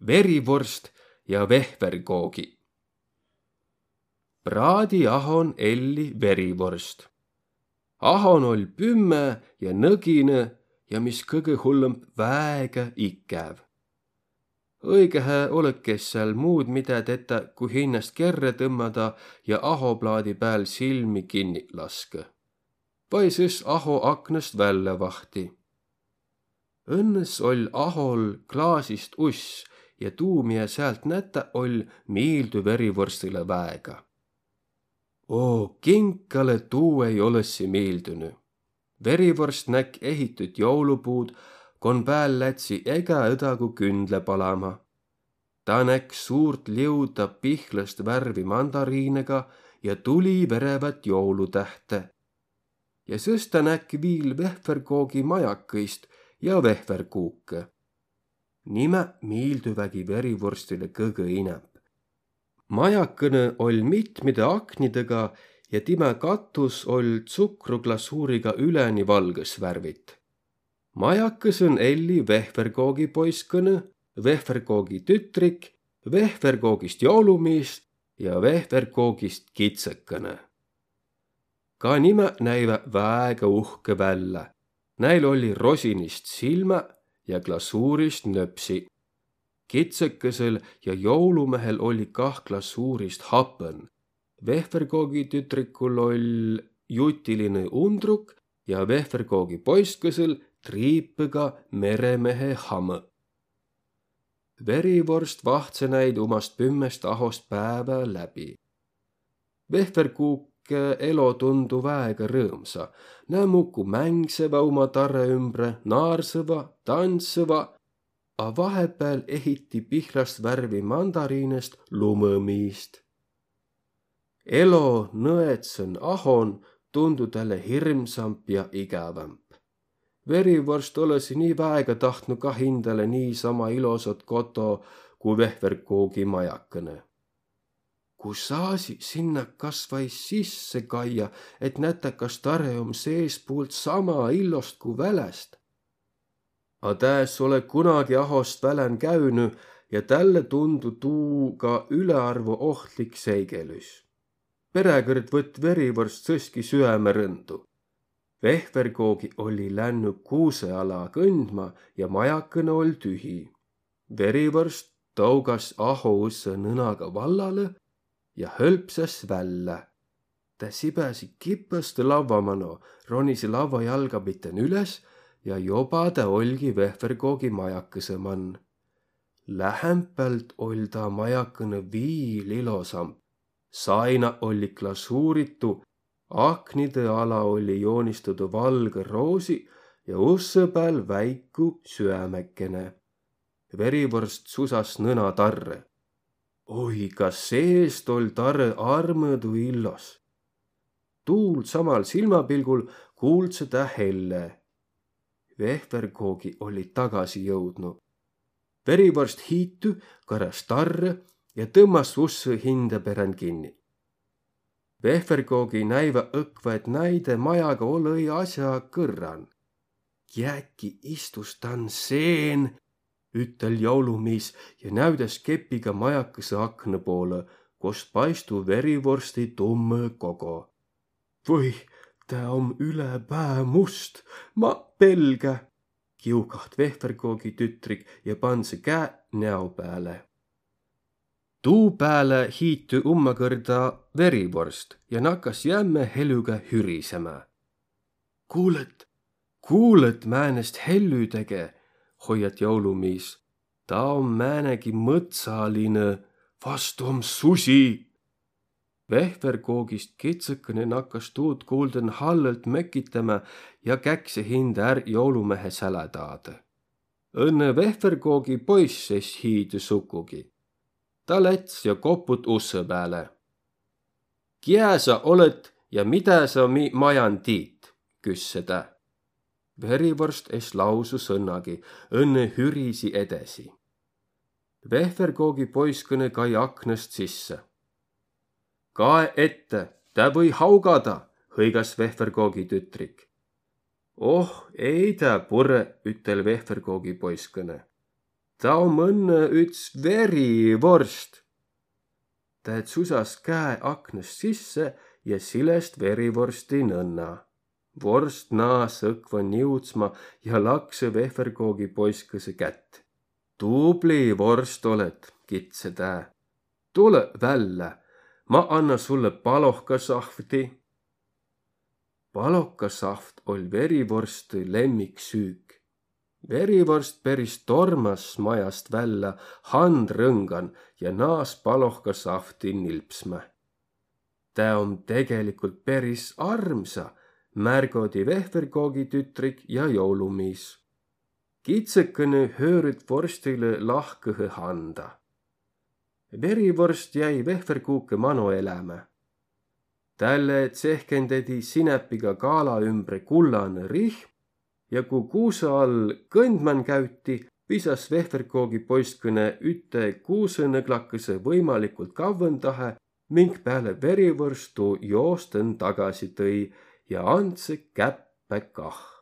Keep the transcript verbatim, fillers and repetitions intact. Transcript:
Verivorst ja vehvergoogi. Praadi ahon elli verivorst. Ahon oll' pümme ja nõginõ ja mis kõgõ hullõmb, väega ikäv. Õigõhe olõki sääl muud midä tetä, ku hinnäst kerrä tõmmada ja ahoplaadi pääl silmi kinni laskõ. Vai sõs aho aknõst vällä vahti. Õnnõs oll' ahol klaasist uss ja tuu, miä säält nätä oll', miildü verivorstilõ väega. Oo, kinkalõ tuu ei olõssi miildünü. Verivorst näkk ehitüt joulupuud, kon pääl lätsi egä õdagu kündle palama. Ta näkk suurt liuda pihlast värvi mandariinega ja tuli verevät joulutähte. Ja sõs ta näkk viil vehvergoogi majakõist ja vehverkuukõ. Nimä miildüvägi verivorstile kõgõ inämb. Majakõnõ oll' mitmide aknidõga ja timä katus oll' tsukruglasuuriga üläni valgõs värvit. Majakõsõn elli vehvergoogi poiskõnõ, vehvergoogi tütrik, vehvergoogist joulumiis ja vehvergoogist kitsõkõnõ. Ka nimä näivä väega uhkõ vällä. Näil olli rosinist silmä ja glasuurist nöpsi. Kitsõkõsõl ja joulumehel olli kah glasuurist hapõn. Vehvergoogi tütrikul oll' jutilinõ undruk ja vehvergoogi poiskõsõl triipõga meremehe hamõ. Verivorst vahtsõ näid umast pümmest ahost päävä läbi. Vehverkuuk elo tundu väega rõõmsa. Nä muku mängsevä uma tarõ ümbre, naarsõva, tandsõva, a vahepääl ehiti pihlast värvi mandariinest lumõmiist. Elo nõedsõn ahon tundu tälle hirmsamp ja igävämp. Verivorst olõsi nii väega tahtnu kah hindäle niisama ilosat koto ku vehverkuugi majakõnõ. Ku saasi sinnä kasvai sisse kaia, et nätä, kas tarõ om seespuult sama ilost ku väläst. A tä es olõ kunagi ahost välän käünü ja tälle tundu tuu ka ülearvo ohtlik seigelüs. Peräkõrd võtt Verivorst sõski süämerõndu. Vehverkuugi olli lännü kuusõ ala kõndma ja majakõnõ oll' tühi. Verivorst tougas aho ussõ nõnaga vallalõ ja hölpsas vällä. Tä sibäsi kipõstõ lavva mano, ronisi lavva jalga pitten üles ja joba tä oll'gi vehverkuugi majakõsõ man. Lähämpelt oll' taa majakõnõ viil ilosamb. Saina olli glasuuritu, aknidõ ala olli joonistadu valgõ roosi ja ussõ pääl väiku süämekene. Verivorst susas nõna tarrõ. Oi, ka seest oll' tarõ armõdu illos. Tuul samal silmapilgul kuuldsõ tä helle. Vehverkuugi olli tagasi jõudnu. Verivorst hiitü, karas tarrõ ja tõmmas ussõ hindä perän kinni. Vehverkuugi näivä õkva, et näide majaga olõ-i asja kõrran. Jääki istus dan seen, ütel' joulumiis ja näüdäs kepiga majakõsõ aknõ poolõ, kos paistu Verivorsti tummõ kogo. Või, tä om üle pää must, ma pelgä, kiukaht vehverkuugi tütrik ja pandsõ käe näo pääle. Tuu pääle hiitü ummakõrda Verivorst ja nakas jämme helüga hürisemä. Kuulõt, kuulõt, määnest hellü tege, hoiat' joulumiis. Taa om määnegi mõtsalinõ, vast om susi. Vehverkuugist kitsõkene nakas tuud kuulden hallõlt mökitämä ja käkse hindä är joulumehe sälä taadõ. Õnnõ vehverkuugi poiss es hiidü sukugi. Tä läts ja koput' ussõ pääle. Kiä sa olõt ja midä sa mi majan tiit? Küsse tä. Verivorst es lausu sõnnagi, õnnõ hürisi edesi. Vehverkuugi poiskõnõ kai aknõst sisse. Kae ette, tä või haugada, hõigas vehverkuugi tütrik. Oh, ei tä purõ, ütel' vehverkuugi poiskõnõ. Taa om õnnõ üts verivorst. Tä tsusas käe aknast sisse ja silest verivorsti nõnna. Vorst naas õkva niudsma ja laksõ vehverkoogi poiskõsõ kätt. Tubli vorst olõt, kidse tä. Tulõ vällä, ma anna sullõ palohkasahvti. Palohkasahvt oll verivorstõ lemmiksüük. Verivorst peris tormas majast vällä handrõngan ja naas palohkasahvti nilpsmä. Tä om tegelikult peris armsa, märgodi vehverkoogi tütrik ja joulumiis. Kitsõkõnõ höörüt vorstilõ lahkõhe handa. Verivorst jäi vehverkuukõ mano elämä. Tälle tsehkendedi sinäpiga kaala ümbre kullanõ rihm ja ku kuusõ all kõndman käüti, visas vehverkoogi poistkõne üte kuusõnõglakõsõ võimalikult kavvõndahe, mink pääle verivorstu joostõn tagasi tõi ja andsõ käppä kah.